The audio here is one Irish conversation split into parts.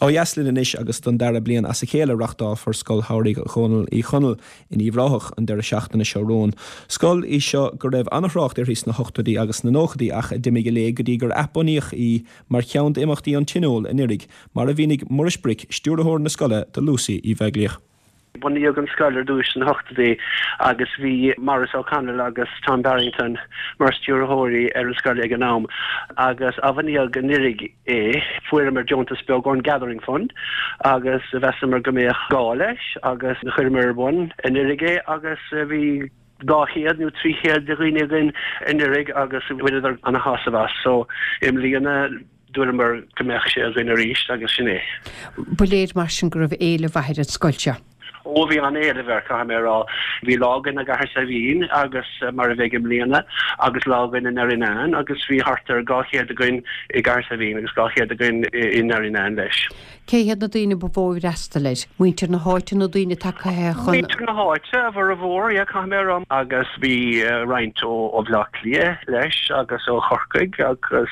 Ó dheas linn anois agus don dara bliain as a chéile reachtálfar Scoil Shamhraidh Dhónaill Uí Chonaill in Uíbh Ráthach an deireadh seachtaine seo romhainn. Scoil í seo go raibh an-thrácht uirthi sna hochtóidí agus sna nóchaidí ach a d'imigh i léig go dtí gur athbunaíodh í mar cheann d'imeachtaí an Tionóil anuraidh, mar a mhínigh Muiris Bric, stiúrthóir na scoile do Lucy Uí Bheaglaoich. Bunaíodh an scoil ar dtúis sna hochtóidí agus bhí Maurice O'Connell agus Tom Barrington mar stiúrthóirí ar an scoil ag an am agus athbhunaíodh anuraidh é. Fuaireamar deontas beag ón Gathering Fund agus mheasamar go mbeadh gá leis agus chuireamar ar bun anuraidh é agus bhí 200 nó 300 de dhaoine againn anuraidh agus bhaineadar ana-shásamh as. So i mbliana Dúramar go mbeadh sé againn arís agus sin é. Ba léir mar sin go raibh éileamh mhaith ar an scoil seo. Ó bhí an-éileamh air, caithfidh mé a rá. Bhí lá againn i gCathair Saidhbhín agus, mar a bheidh i mbliana, agus lá againn i nDerrynane agus bhí thart ar 200 againn i gCathair Saidhbhín agus 200 againn i nDerrynane leis. Cé hiad na daoine ba mhó a d'fhreastail air? Muintir na háite nó daoine tagtha chun. Muintir na háite, a bhformhór, yeah, caithfidh mé a rá. Agus bhí roinnt ó Bhleá Cliath leis agus ó Chorcaigh agus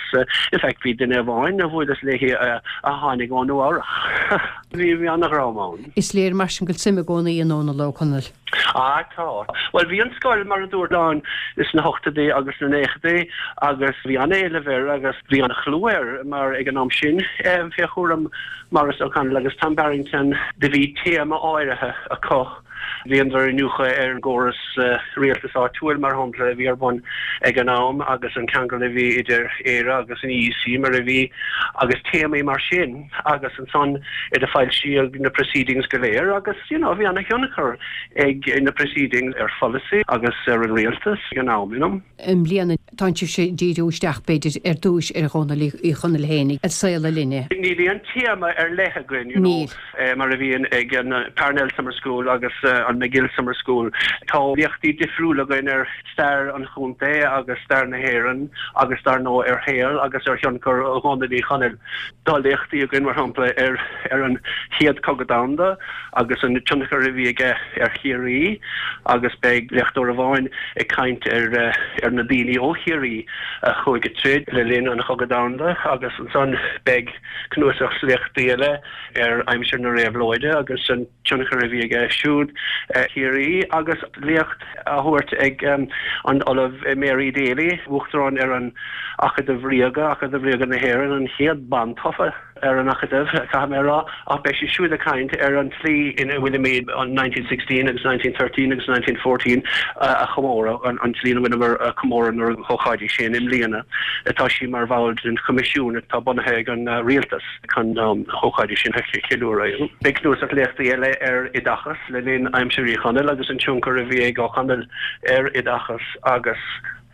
in fact bhí duine amháin a bhuaileas léi a tháinig ó Nua Eabhrach. Bhí an-dhream ann. Is léir mar sin go bhfuil suim i gcónaí i nDónall Ó Conaill. Ah, tá. Bhuel, bhí an scoil, mar a dúirt, ann sna hochtóidí agus sna naochaidí agus bhí an-éileamh air agus bhí an-chlú air mar ag an am sin, fé chúram Maurice O'Connell agus Tom Barrington, do bhí téama áirithe acu. Bhíodar ag iniúchadh ar an gcóras rialtais áitiúil, mar shampla, a bhí ar bun ag an am agus an ceangal a bhí idir Éire agus an EEC mar a bhí agus téamaí mar sin. Agus ansan do foilsíodh na proceedings go léir agus, you know, bhí ana-thionchar ag na proceedings ar pholasaí agus ar an rialtas ag an am, you know. I mbliana, tá sibhse ag díriú isteach, b'fhéidir, ar dtúis ar Dhónall Uí Chonaill féin, a saol a linne. Níl aon téama ar leith againn, you know, mar a bhíonn ag an Parnell Summer School agus an Magill Summer School. Tá léachtaí difriúla againn ar stair an chontae agus stair na hÉireann agus dar ndóigh ar shaol agus ar thionchar Dhónaill Uí Chonaill. Tá léachtaí againn, mar shampla, ar ar an Chéad Chogadh Domhanda agus an tionchar a bhí aige ar Chiarraí agus beidh léachtóir amháin ag caint ar ar na daoine ó Chiarraí a chuaigh ag troid le linn an Chogaidh Domhanda agus ansan beidh cnuasach léachtaí eile ar aimsir na réabhlóide agus an tionchar a bhí aige siúd ar Chiarraí agus léacht á thabhairt ag an Ollamh Mary Daly, Uachtarán ar an Acadamh Ríoga, Acadamh Ríoga na hÉireann, an chéad bean tofa ar an Acadamh, caithfidh mé a rá, ach beidh sí siúd ag caint ar an tslí ina bhfuilimid an 1916 agus 1913 agus 1914 a chomóradh, an tslí ina bhfuileamar ag comóradh na hócáidí sin i mbliana. Tá sí mar bhall den choimisiún atá bunaithe ag an rialtas. chun na hócáidí sin a cheiliúradh. Beidh cnuasach léachtaí eile ar oideachas le linn aimsir Uí Chonaill agus an tionchar a bhí ag Ó Conaill ar oideachas agus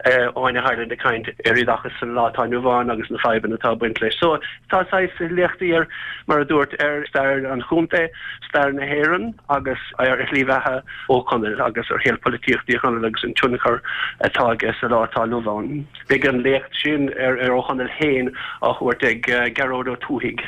Áine Hyland ag caint ar oideachas sa lá atá inniu ann agus na fadhbanna atá ag baint leis. So tá saghas léachtaí ar, mar a dúirt, ar stair an chontae, stair na hÉireann agus ar shlí bheatha Ó Conaill agus ar shaol polaitíochta Uí Chonaill agus an tionchar atá aige sa lá atá inniu ann. Beidh an léacht sin ar Ó Conaill féin á thabhairt ag Gearóid Ó Tuathaigh.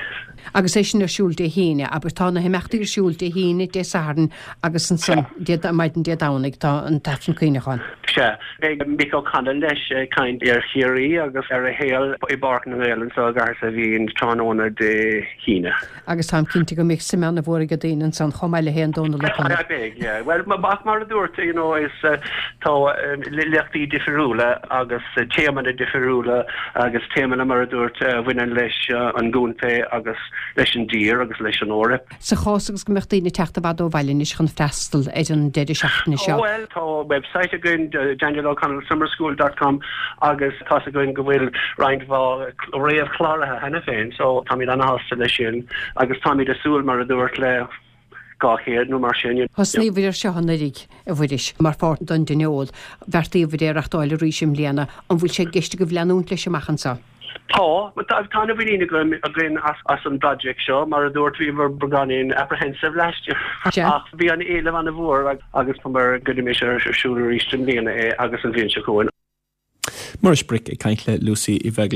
Agus é sin ar siúl Dé hAoine, abair. Tá na himeachtaí ar siúl Dé hAoine, Dé Sathairn agus ansan maidin Dé Domhnaigh tá an tAifreann Cuimhneacháin. Sea. Beidh Mick O'Connell leis ag caint ar Chiarraí agus ar a shaol i bPáirc na nGael anseo i gCathair Saidhbhín tráthnóna Dé hAoine. Agus táim cinnte go mbeidh suim ana-mhór ag daoine ansan chomh maith le haon Dónal Ó Conaill. Beidh, yeah. Bhuel, ach mar a dúirt, you know, is tá léachtaí difriúla agus téamanna difriúla agus téamanna, mar a dúirt, a bhaineann leis an gcontae agus leis an dtír agus leis an Eoraip. Sa chás agus go mbeadh daoine ag teacht i bhfad ó bhaile anois chun freastal ar an deireadh seachtaine seo. Bhuel, tá website againn, danieloconnellsummerschool dot com, agus tá's againn go bhfuil roinnt mhaith réamhchláraithe cheana féin so táimid ana-shásta leis sin agus táimid ag súil, mar a dúirt, le 200 nó mar sin. Thosnaíobhair ar seo anuraidh, a Mhuiris, mar pháirt den dtionól. Bheartaíobhair é a reachtáil arís i mbliana. An bhfuil sé i gceist agaibh leanúint leis amach anseo? Tá. Tá ana-mhuinín againn as an bproject seo. Mar a dúirt, bhíomar beagáinín apprehensive last year ach bhí an éileamh ana-mhór agus táimid go gcuirfimis ar siúl arís i mbliana é agus an bhliain seo chugainn. Muiris Bric ag caint le Lucy Uí Bheaglaoich.